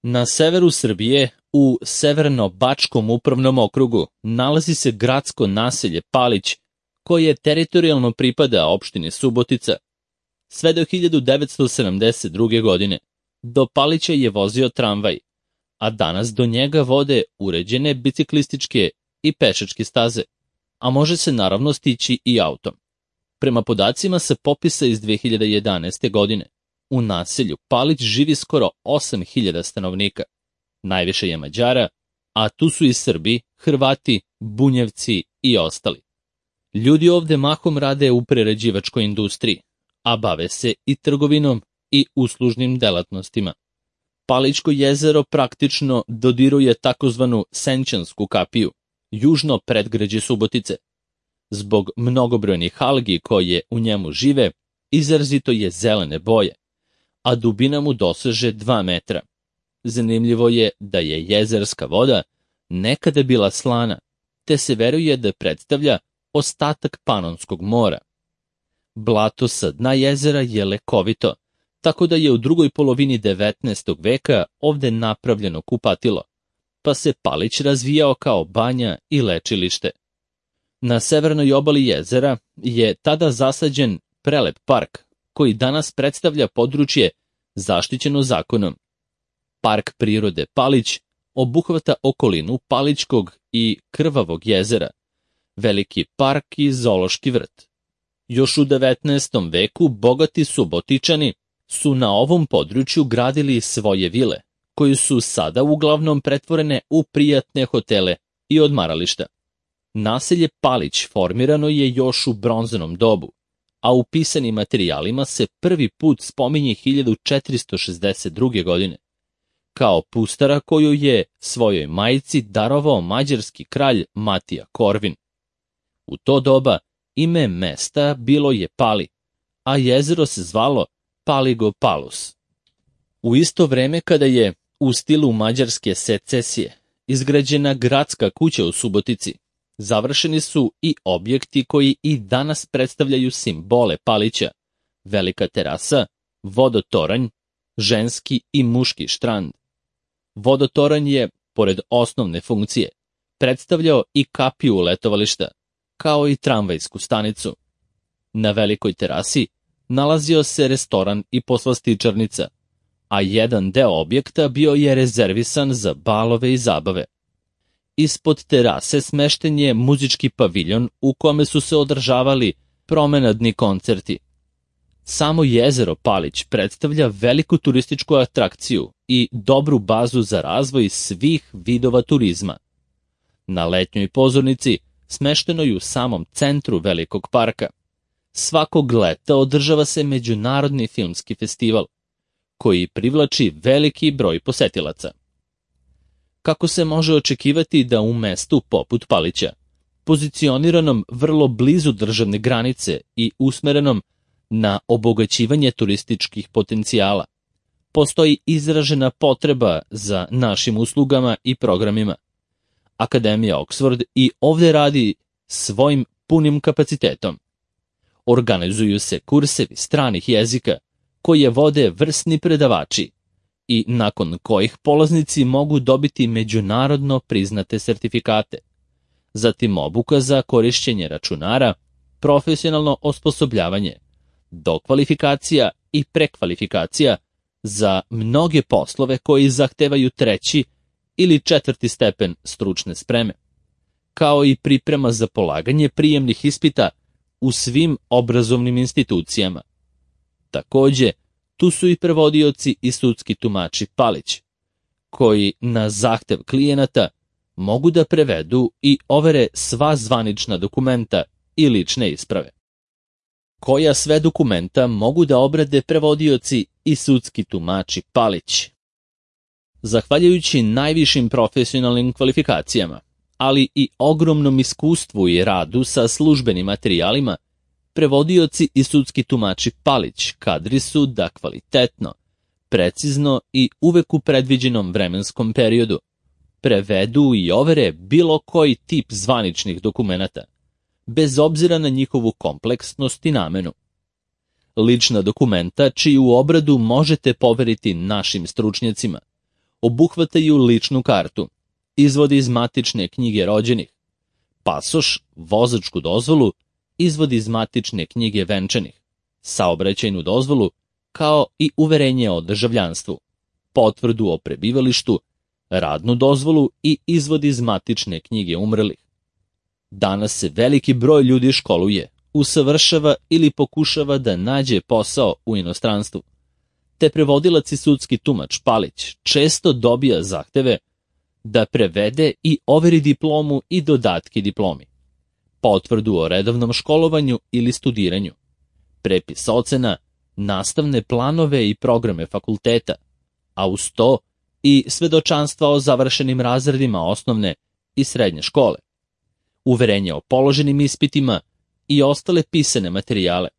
Na severu Srbije, u Severno-Bačkom upravnom okrugu, nalazi se gradsko naselje Palić, koje teritorijalno pripada opštini Subotica. Sve do 1972. godine do Palića je vozio tramvaj, a danas do njega vode uređene biciklističke i pešačke staze, a može se naravno stići i autom. Prema podacima sa popisa iz 2011. godine, u naselju Palić živi skoro 8.000 stanovnika. Najviše je Mađara, a tu su i Srbi, Hrvati, Bunjevci i ostali. Ljudi ovde mahom rade u prerađivačkoj industriji, a bave se i trgovinom i uslužnim delatnostima. Palićko jezero praktično dodiruje takozvanu Senčansku kapiju, južno predgrađe Subotice. Zbog mnogobrojnih algi koje u njemu žive, izrazito je zelene boje, a dubina mu doseže 2 metra. Zanimljivo je da je jezerska voda nekada bila slana, te se veruje da predstavlja ostatak Panonskog mora. Blato sa dna jezera je lekovito, tako da je u drugoj polovini 19. veka ovde napravljeno kupatilo, pa se Palić razvijao kao banja i lečilište. Na severnoj obali jezera je tada zasađen prelep park, koji danas predstavlja područje zaštićeno zakonom. Park prirode Palić obuhvata okolinu Palićkog i Krvavog jezera, veliki park i zoološki vrt. Još u 19. veku bogati Subotičani su na ovom području gradili svoje vile, koje su sada uglavnom pretvorene u prijatne hotele i odmarališta. Naselje Palić formirano je još u bronzanom dobu, a u pisanim materijalima se prvi put spominje 1462. godine, kao pustara koju je svojoj majci darovao mađarski kralj Matija Korvin. U to doba ime mesta bilo je Pali, a jezero se zvalo Paligo Palus. U isto vreme kada je u stilu mađarske secesije izgrađena gradska kuća u Subotici, završeni su i objekti koji i danas predstavljaju simbole Palića: velika terasa, vodotoranj, ženski i muški štrand. Vodotoranj je, pored osnovne funkcije, predstavljao i kapiju letovališta, kao i tramvajsku stanicu. Na velikoj terasi nalazio se restoran i poslastičarnica, a jedan deo objekta bio je rezervisan za balove i zabave. Ispod terase smešten je muzički paviljon u kome su se održavali promenadni koncerti. Samo jezero Palić predstavlja veliku turističku atrakciju i dobru bazu za razvoj svih vidova turizma. Na letnjoj pozornici, smeštenoj u samom centru velikog parka, svakog leta održava se Međunarodni filmski festival, koji privlači veliki broj posetilaca. Kako se može očekivati da u mestu poput Palića, pozicioniranom vrlo blizu državne granice i usmerenom na obogaćivanje turističkih potencijala, postoji izražena potreba za našim uslugama i programima. Akademija Oxford i ovde radi svojim punim kapacitetom. Organizuju se kursevi stranih jezika koje vode vrsni predavači i nakon kojih polaznici mogu dobiti međunarodno priznate sertifikate. Zatim obuka za korišćenje računara, profesionalno osposobljavanje, dokvalifikacija i prekvalifikacija za mnoge poslove koji zahtevaju 3. ili 4. stepen stručne spreme, kao i priprema za polaganje prijemnih ispita u svim obrazovnim institucijama. Takođe, tu su i prevodioci i sudski tumači Palić, koji na zahtev klijenata mogu da prevedu i overe sva zvanična dokumenta i lične isprave. Koja sve dokumenta mogu da obrade prevodioci i sudski tumači Palić? Zahvaljujući najvišim profesionalnim kvalifikacijama, ali i ogromnom iskustvu i radu sa službenim materijalima, prevodioci i sudski tumači Palić kadri su da kvalitetno, precizno i uvek u predviđenom vremenskom periodu prevedu i overe bilo koji tip zvaničnih dokumenata, bez obzira na njihovu kompleksnost i namenu. Lična dokumenta čiju obradu možete poveriti našim stručnjacima obuhvataju ličnu kartu, izvod iz matične knjige rođenih, pasoš, vozačku dozvolu, izvod iz matične knjige venčanih, saobraćajnu dozvolu, kao i uverenje o državljanstvu, potvrdu o prebivalištu, radnu dozvolu i izvod iz matične knjige umrlih. Danas se veliki broj ljudi školuje, usavršava ili pokušava da nađe posao u inostranstvu, te prevodilac i sudski tumač Palić često dobija zahteve da prevede i overi diplomu i dodatke diplomi, potvrdu o redovnom školovanju ili studiranju, prepis ocena, nastavne planove i programe fakulteta, a uz to i svedočanstva o završenim razredima osnovne i srednje škole, uverenje o položenim ispitima i ostale pisane materijale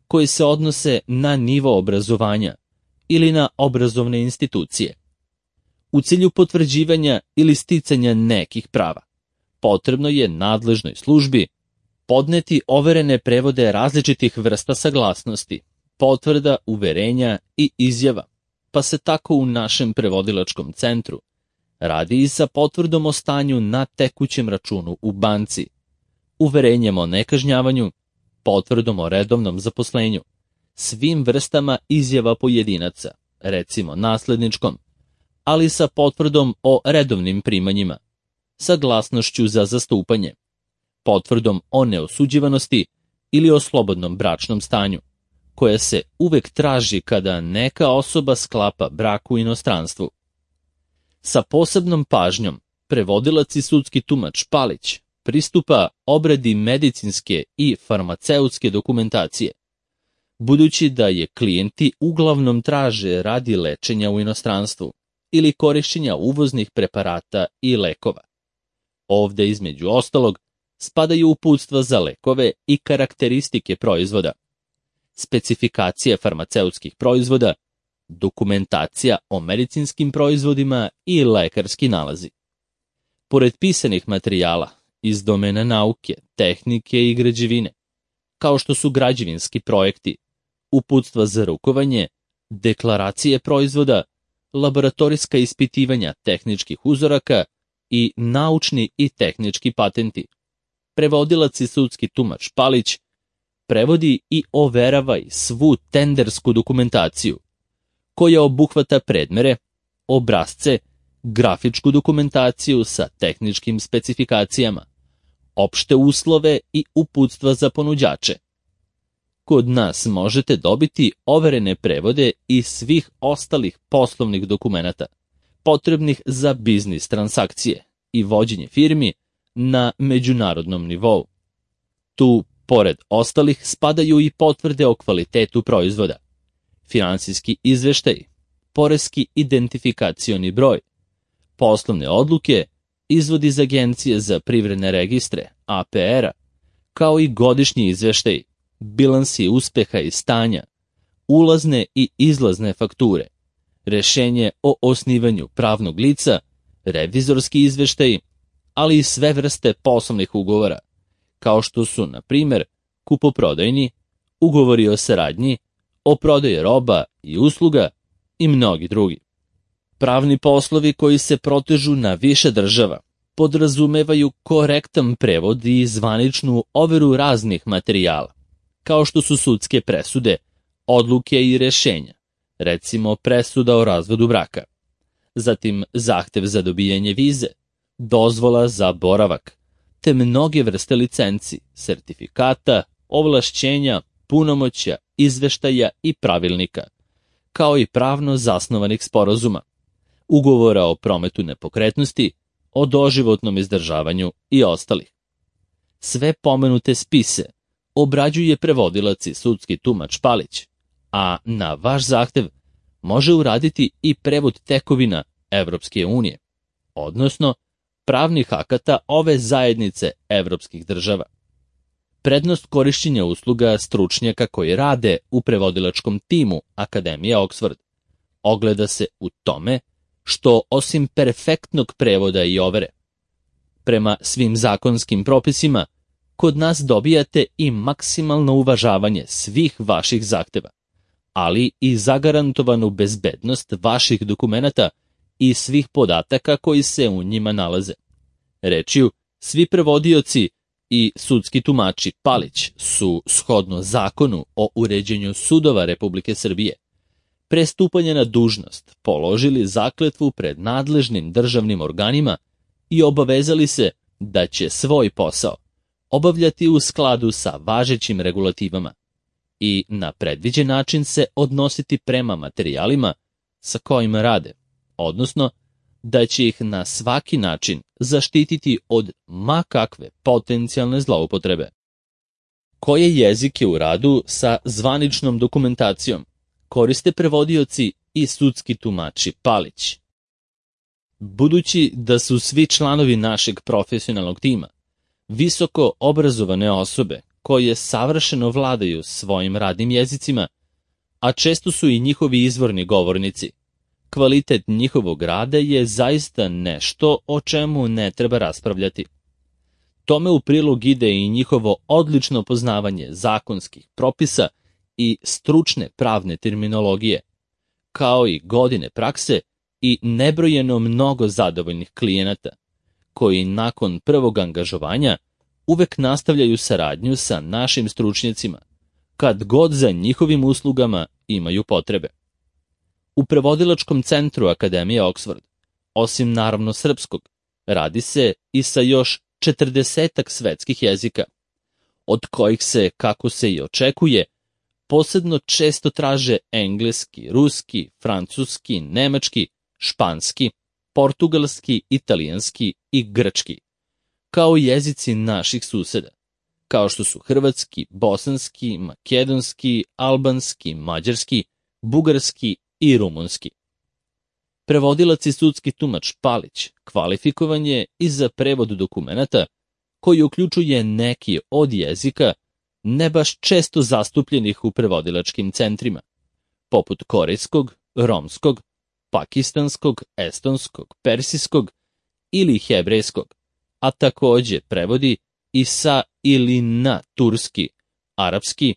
koji se odnose na nivo obrazovanja ili na obrazovne institucije. U cilju potvrđivanja ili sticanja nekih prava, potrebno je nadležnoj službi podneti overene prevode različitih vrsta saglasnosti, potvrda, uverenja i izjava, pa se tako u našem prevodilačkom centru radi i sa potvrdom o stanju na tekućem računu u banci, uverenjem o nekažnjavanju, potvrdom o redovnom zaposlenju, svim vrstama izjava pojedinaca, recimo nasledničkom, ali sa potvrdom o redovnim primanjima, saglasnošću za zastupanje, potvrdom o neosuđivanosti ili o slobodnom bračnom stanju, koja se uvek traži kada neka osoba sklapa brak u inostranstvu. Sa posebnom pažnjom prevodilac i sudski tumač Palić pristupa obradi medicinske i farmaceutske dokumentacije, budući da je klijenti uglavnom traže radi lečenja u inostranstvu ili korišćenja uvoznih preparata i lekova. Ovde, između ostalog, spadaju uputstva za lekove i karakteristike proizvoda, specifikacija farmaceutskih proizvoda, dokumentacija o medicinskim proizvodima i lekarski nalazi. Pored pisanih materijala iz domena nauke, tehnike i građevine, kao što su građevinski projekti, uputstva za rukovanje, deklaracije proizvoda, laboratorijska ispitivanja tehničkih uzoraka i naučni i tehnički patenti, prevodilac i sudski tumač Palić prevodi i overava svu tendersku dokumentaciju, koja obuhvata predmere, obrasce, grafičku dokumentaciju sa tehničkim specifikacijama, opšte uslove i uputstva za ponuđače. Kod nas možete dobiti overene prevode i svih ostalih poslovnih dokumenata, potrebnih za biznis transakcije i vođenje firmi na međunarodnom nivou. Tu, pored ostalih, spadaju i potvrde o kvalitetu proizvoda, finansijski izveštaj, poreski identifikacioni broj, poslovne odluke, izvod iz Agencije za privredne registre, APR-a, kao i godišnji izveštaj, bilansi uspeha i stanja, ulazne i izlazne fakture, rešenje o osnivanju pravnog lica, revizorski izveštaj, ali i sve vrste poslovnih ugovora, kao što su, na primer, kupoprodajni, ugovori o saradnji, o prodaji roba i usluga i mnogi drugi. Pravni poslovi koji se protežu na više država podrazumevaju korektan prevod i zvaničnu overu raznih materijala, kao što su sudske presude, odluke i rešenja, recimo presuda o razvodu braka, zatim zahtev za dobijanje vize, dozvola za boravak, te mnoge vrste licenci, sertifikata, ovlašćenja, punomoćja, izveštaja i pravilnika, kao i pravno zasnovanih sporazuma, ugovora o prometu nepokretnosti, o doživotnom izdržavanju i ostalih. Sve pomenute spise obrađuje prevodilac i sudski tumač Palić, a na vaš zahtev može uraditi i prevod tekovina Evropske unije, odnosno pravnih akata ove zajednice evropskih država. Prednost korišćenja usluga stručnjaka koji rade u prevodilačkom timu Akademije Oxford ogleda se u tome što osim perfektnog prevoda i overe, prema svim zakonskim propisima, kod nas dobijate i maksimalno uvažavanje svih vaših zahteva, ali i zagarantovanu bezbednost vaših dokumenata i svih podataka koji se u njima nalaze. Rečju, svi prevodioci i sudski tumači Palić su, shodno zakonu o uređenju sudova Republike Srbije, pre stupanja na dužnost položili zakletvu pred nadležnim državnim organima i obavezali se da će svoj posao obavljati u skladu sa važećim regulativama i na predviđen način se odnositi prema materijalima sa kojima rade, odnosno da će ih na svaki način zaštititi od ma kakve potencijalne zloupotrebe. Koje jezike u radu sa zvaničnom dokumentacijom koriste prevodioci i sudski tumači Palić? Budući da su svi članovi našeg profesionalnog tima visoko obrazovane osobe koje savršeno vladaju svojim radnim jezicima, a često su i njihovi izvorni govornici, kvalitet njihovog rada je zaista nešto o čemu ne treba raspravljati. Tome u prilog ide i njihovo odlično poznavanje zakonskih propisa i stručne pravne terminologije, kao i godine prakse i nebrojeno mnogo zadovoljnih klijenata, koji nakon prvog angažovanja uvek nastavljaju saradnju sa našim stručnjacima, kad god za njihovim uslugama imaju potrebe. U prevodilačkom centru Akademije Oxford, osim naravno srpskog, radi se i sa još 40 svetskih jezika, od kojih se, kako se i očekuje, posebno često traže engleski, ruski, francuski, nemački, španski, portugalski, italijanski i grčki, kao jezici naših suseda, kao što su hrvatski, bosanski, makedonski, albanski, mađarski, bugarski i rumunski. Prevodilac i sudski tumač Palić kvalifikovan je i za prevod dokumenata koji uključuje neki od jezika ne baš često zastupljenih u prevodilačkim centrima, poput korejskog, romskog, pakistanskog, estonskog, persijskog ili hebrejskog, a takođe prevodi i sa ili na turski, arapski,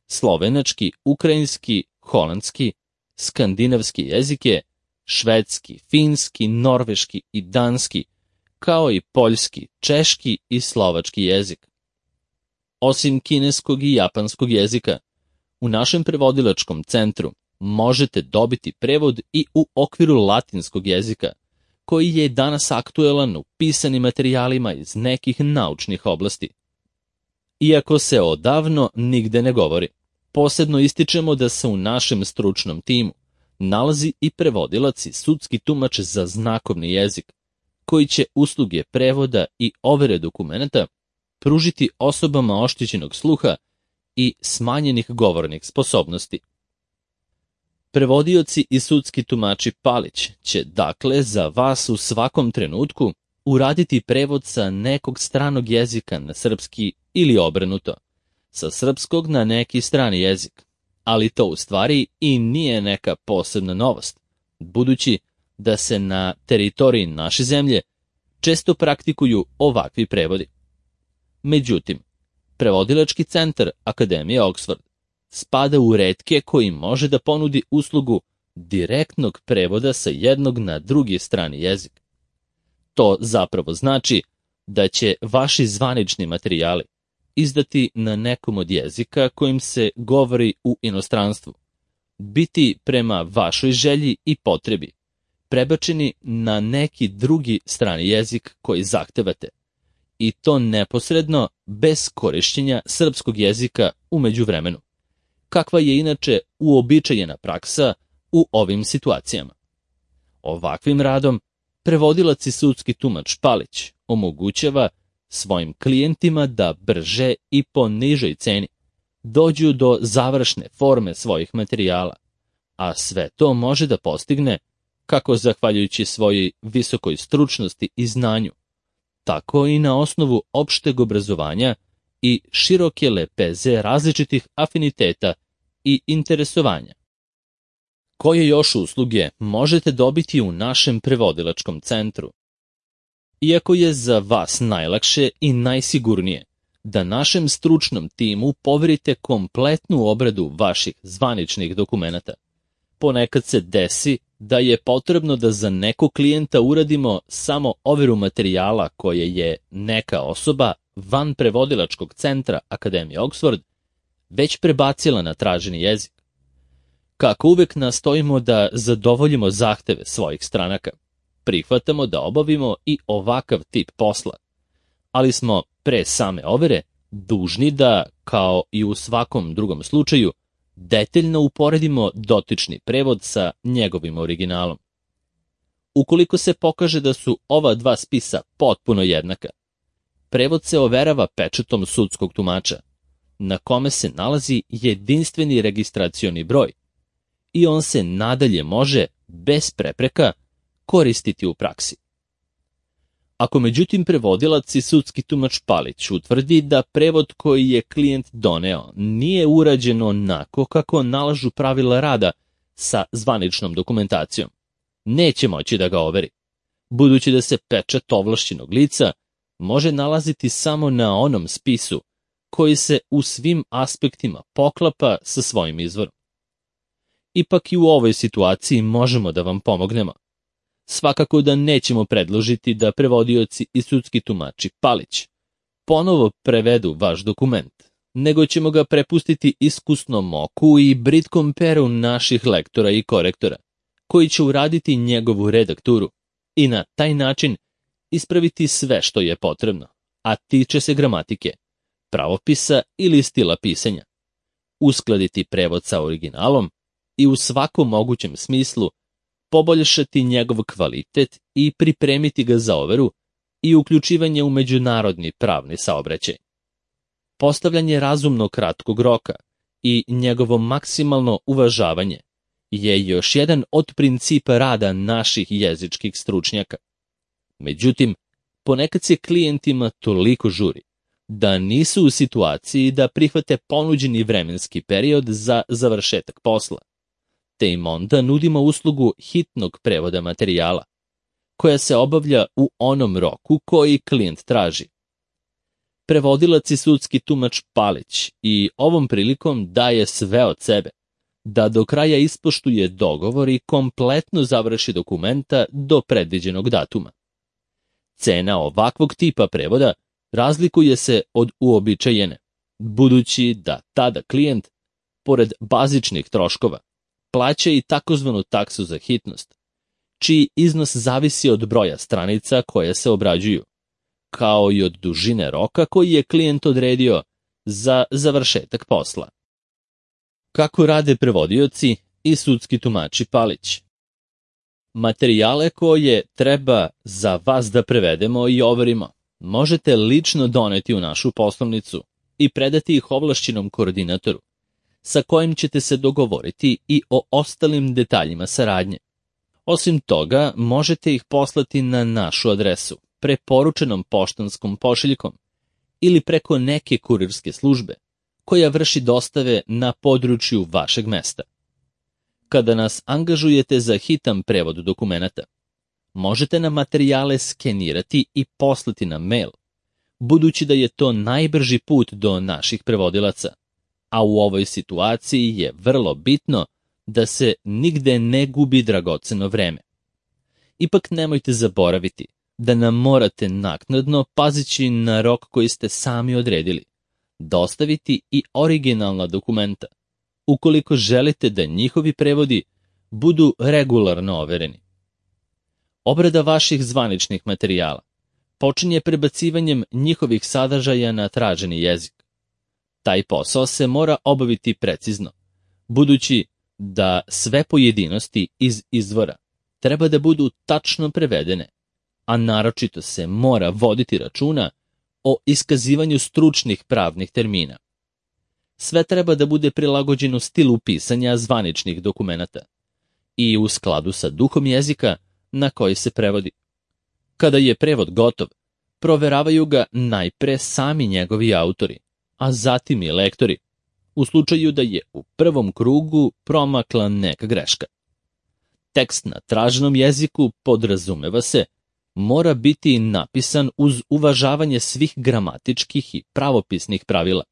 slovenački, ukrajinski, holandski, skandinavski jezike, švedski, finski, norveški i danski, kao i poljski, češki i slovački jezik. Osim kineskog i japanskog jezika, u našem prevodilačkom centru možete dobiti prevod i u okviru latinskog jezika, koji je danas aktuelan u pisanim materijalima iz nekih naučnih oblasti. Iako se odavno nigde ne govori, posebno ističemo da se u našem stručnom timu nalazi i prevodilac i sudski tumač za znakovni jezik, koji će usluge prevoda i overe dokumenata pružiti osobama oštećenog sluha i smanjenih govornih sposobnosti. Prevodioci i sudski tumači Palić će dakle za vas u svakom trenutku uraditi prevod sa nekog stranog jezika na srpski ili obrnuto, sa srpskog na neki strani jezik, ali to u stvari i nije neka posebna novost, budući da se na teritoriji naše zemlje često praktikuju ovakvi prevodi. Međutim, prevodilački centar Akademije Oxford spada u retke koji može da ponudi uslugu direktnog prevoda sa jednog na drugi strani jezik. To zapravo znači da će vaši zvanični materijali izdati na nekom od jezika kojim se govori u inostranstvu, biti prema vašoj želji i potrebi prebačeni na neki drugi strani jezik koji zahtevate, i to neposredno bez korišćenja srpskog jezika u međuvremenu, kakva je inače uobičajena praksa u ovim situacijama. Ovakvim radom prevodilac i sudski tumač Palić omogućava svojim klijentima da brže i po nižoj ceni dođu do završne forme svojih materijala, a sve to može da postigne kako zahvaljujući svojoj visokoj stručnosti i znanju, tako i na osnovu opšteg obrazovanja i široke lepeze različitih afiniteta i interesovanja. Koje još usluge možete dobiti u našem prevodilačkom centru? Iako je za vas najlakše i najsigurnije da našem stručnom timu poverite kompletnu obradu vaših zvaničnih dokumenata, ponekad se desi da je potrebno da za nekog klijenta uradimo samo overu materijala koje je neka osoba van prevodilačkog centra Akademije Oxford već prebacila na traženi jezik. Kako uvek nastojimo da zadovoljimo zahteve svojih stranaka, prihvatamo da obavimo i ovakav tip posla, ali smo pre same overe dužni da, kao i u svakom drugom slučaju, detaljno uporedimo dotični prevod sa njegovim originalom. Ukoliko se pokaže da su ova dva spisa potpuno jednaka, prevod se overava pečatom sudskog tumača, na kome se nalazi jedinstveni registracioni broj, i on se nadalje može, bez prepreka, koristiti u praksi. Ako međutim prevodilac i sudski tumač Palić utvrdi da prevod koji je klijent doneo nije urađen onako kako nalažu pravila rada sa zvaničnom dokumentacijom, neće moći da ga overi, budući da se pečat ovlašćenog lica može nalaziti samo na onom spisu koji se u svim aspektima poklapa sa svojim izvorom. Ipak i u ovoj situaciji možemo da vam pomognemo. Svakako da nećemo predložiti da prevodioci i sudski tumači Palić ponovo prevedu vaš dokument, nego ćemo ga prepustiti iskusnom oku i britkom peru naših lektora i korektora, koji će uraditi njegovu redakturu i na taj način ispraviti sve što je potrebno, a tiče se gramatike, pravopisa ili stila pisanja, uskladiti prevod sa originalom i u svakom mogućem smislu poboljšati njegov kvalitet i pripremiti ga za overu i uključivanje u međunarodni pravni saobraćaj. Postavljanje razumno kratkog roka i njegovo maksimalno uvažavanje je još jedan od principa rada naših jezičkih stručnjaka. Međutim, ponekad se klijentima toliko žuri da nisu u situaciji da prihvate ponuđeni vremenski period za završetak posla, te im onda nudimo uslugu hitnog prevoda materijala, koja se obavlja u onom roku koji klijent traži. Prevodilac i sudski tumač Palić i ovom prilikom daje sve od sebe, da do kraja ispoštuje dogovor i kompletno završi dokumenta do predviđenog datuma. Cena ovakvog tipa prevoda razlikuje se od uobičajene, budući da tada klijent, pored bazičnih troškova, plaća i takozvanu taksu za hitnost, čiji iznos zavisi od broja stranica koje se obrađuju, kao i od dužine roka koji je klijent odredio za završetak posla. Kako rade prevodioci i sudski tumači Palić? Materijale koje treba za vas da prevedemo i overimo možete lično doneti u našu poslovnicu i predati ih ovlašćenom koordinatoru, sa kojim ćete se dogovoriti i o ostalim detaljima saradnje. Osim toga, možete ih poslati na našu adresu, preporučenom poštanskom pošiljkom ili preko neke kurirske službe, koja vrši dostave na području vašeg mesta. Kada nas angažujete za hitan prevod dokumenata, možete nam materijale skenirati i poslati na mail, budući da je to najbrži put do naših prevodilaca, a u ovoj situaciji je vrlo bitno da se nigde ne gubi dragoceno vreme. Ipak nemojte zaboraviti da nam morate naknadno, pazići na rok koji ste sami odredili, dostaviti i originalna dokumenta, ukoliko želite da njihovi prevodi budu regularno overeni. Obrada vaših zvaničnih materijala počinje prebacivanjem njihovih sadržaja na traženi jezik. Taj posao se mora obaviti precizno, budući da sve pojedinosti iz izvora treba da budu tačno prevedene, a naročito se mora voditi računa o iskazivanju stručnih pravnih termina. Sve treba da bude prilagođeno stilu pisanja zvaničnih dokumenata i u skladu sa duhom jezika na koji se prevodi. Kada je prevod gotov, proveravaju ga najpre sami njegovi autori, a zatim i lektori, u slučaju da je u prvom krugu promakla neka greška. Tekst na traženom jeziku, podrazumeva se, mora biti napisan uz uvažavanje svih gramatičkih i pravopisnih pravila.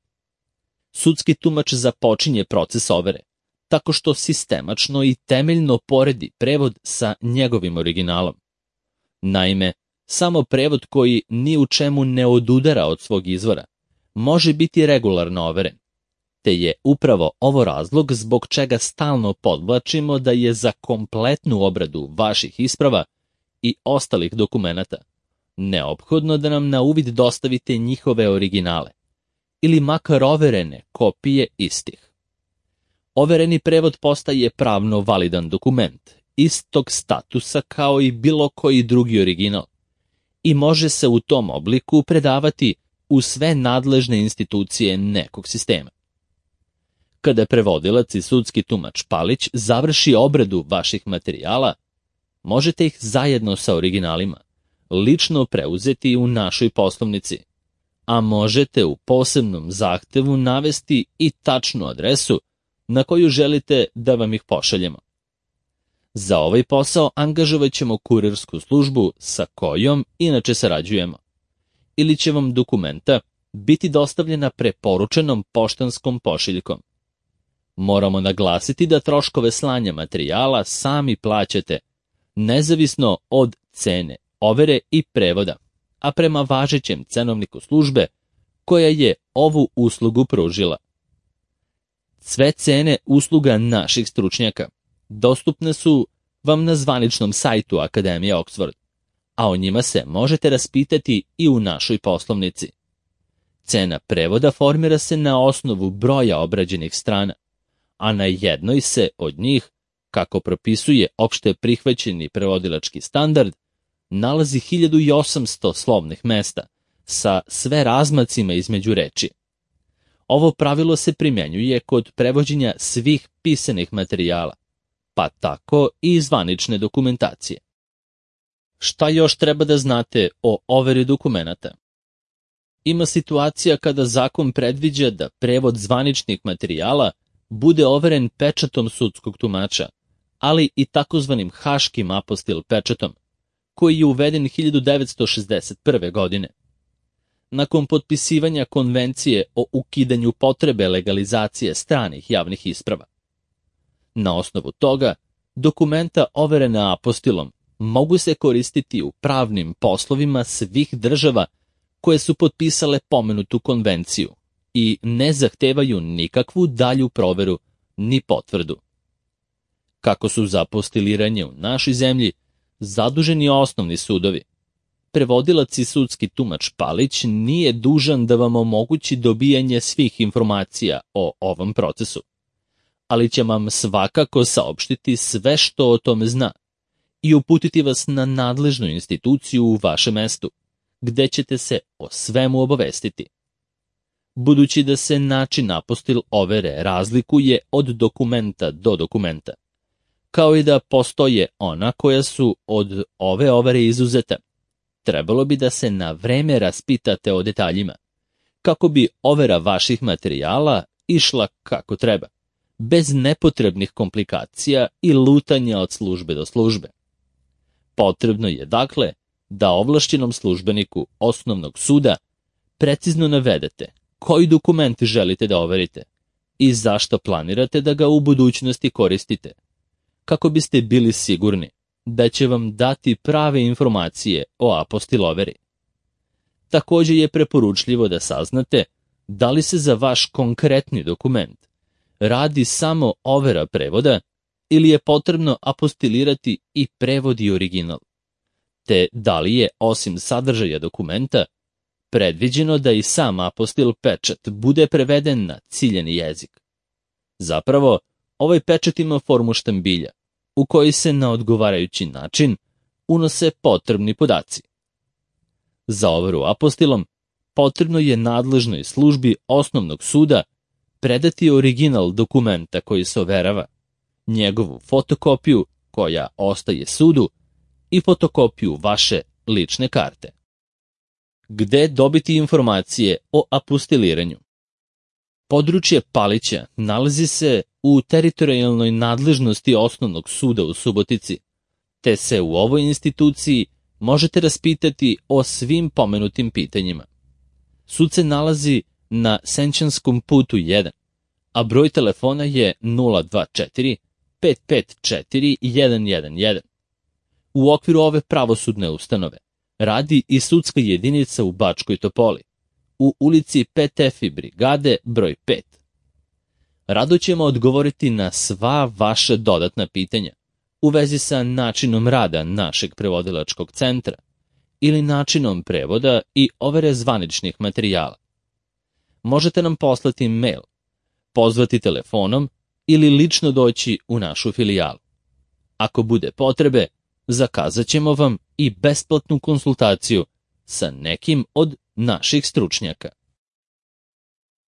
Sudski tumač započinje proces overe, tako što sistemačno i temeljno poredi prevod sa njegovim originalom. Naime, samo prevod koji ni u čemu ne odudara od svog izvora može biti regularno overen, te je upravo ovo razlog zbog čega stalno podvlačimo da je za kompletnu obradu vaših isprava i ostalih dokumenata neophodno da nam na uvid dostavite njihove originale ili makar overene kopije istih. Overeni prevod postaje pravno validan dokument, istog statusa kao i bilo koji drugi original, i može se u tom obliku predavati u sve nadležne institucije nekog sistema. Kada prevodilac i sudski tumač Palić završi obradu vaših materijala, možete ih zajedno sa originalima lično preuzeti u našoj poslovnici, a možete u posebnom zahtevu navesti i tačnu adresu na koju želite da vam ih pošaljemo. Za ovaj posao angažovat ćemo kurirsku službu sa kojom inače sarađujemo, ili će vam dokumenta biti dostavljena preporučenom poštanskom pošiljkom. Moramo naglasiti da troškove slanja materijala sami plaćate, nezavisno od cene, overe i prevoda, a prema važećem cenovniku službe koja je ovu uslugu pružila. Sve cene usluga naših stručnjaka dostupne su vam na zvaničnom sajtu Akademije Oxford, a o njima se možete raspitati i u našoj poslovnici. Cena prevoda formira se na osnovu broja obrađenih strana, a na jednoj se od njih, kako propisuje opšte prihvaćeni prevodilački standard, nalazi 1800 slovnih mesta sa sve razmacima između reči. Ovo pravilo se primjenjuje kod prevođenja svih pisanih materijala, pa tako i zvanične dokumentacije. Šta još treba da znate o overi dokumenata? Ima situacija kada zakon predviđa da prevod zvaničnih materijala bude overen pečatom sudskog tumača, ali i takozvanim haškim apostil pečatom, koji je uveden 1961. godine. Nakon potpisivanja konvencije o ukidanju potrebe legalizacije stranih javnih isprava. Na osnovu toga, dokumenta overena apostilom mogu se koristiti u pravnim poslovima svih država koje su potpisale pomenutu konvenciju i ne zahtevaju nikakvu dalju proveru ni potvrdu. Kako su za apostiliranje u našoj zemlji zaduženi osnovni sudovi, prevodilac i sudski tumač Palić nije dužan da vam omogući dobijanje svih informacija o ovom procesu, ali će vam svakako saopštiti sve što o tome zna i uputiti vas na nadležnu instituciju u vašem mestu, gde ćete se o svemu obavestiti. Budući da se način apostil overe razlikuje od dokumenta do dokumenta, kao i da postoje ona koja su od ove overe izuzeta, trebalo bi da se na vreme raspitate o detaljima, kako bi overa vaših materijala išla kako treba, bez nepotrebnih komplikacija i lutanja od službe do službe. Potrebno je, dakle, da ovlašćenom službeniku osnovnog suda precizno navedete koji dokument želite da overite i zašto planirate da ga u budućnosti koristite, kako biste bili sigurni da će vam dati prave informacije o apostil overi. Također je preporučljivo da saznate da li se za vaš konkretni dokument radi samo overa prevoda ili je potrebno apostilirati i prevod i original, te da li je, osim sadržaja dokumenta, predviđeno da i sam apostil pečat bude preveden na ciljani jezik. Zapravo, ovaj pečat ima formu štambilja, u koji se na odgovarajući način unose potrebni podaci. Za overu apostilom potrebno je nadležnoj službi osnovnog suda predati original dokumenta koji se overava, njegovu fotokopiju koja ostaje sudu i fotokopiju vaše lične karte. Gde dobiti informacije o apostiliranju? Područje Palića nalazi se u teritorijalnoj nadležnosti osnovnog suda u Subotici, te se u ovoj instituciji možete raspitati o svim pomenutim pitanjima. Sud se nalazi na Senčanskom putu 1, a broj telefona je 024 554 111. U okviru ove pravosudne ustanove radi i sudska jedinica u Bačkoj Topoli, u ulici PTF brigade broj 5. Rado ćemo odgovoriti na sva vaša dodatna pitanja u vezi sa načinom rada našeg prevodilačkog centra ili načinom prevoda i overe zvaničnih materijala. Možete nam poslati mail, pozvati telefonom ili lično doći u našu filijalu. Ako bude potrebe, zakazat ćemo vam i besplatnu konsultaciju sa nekim od naših stručnjaka.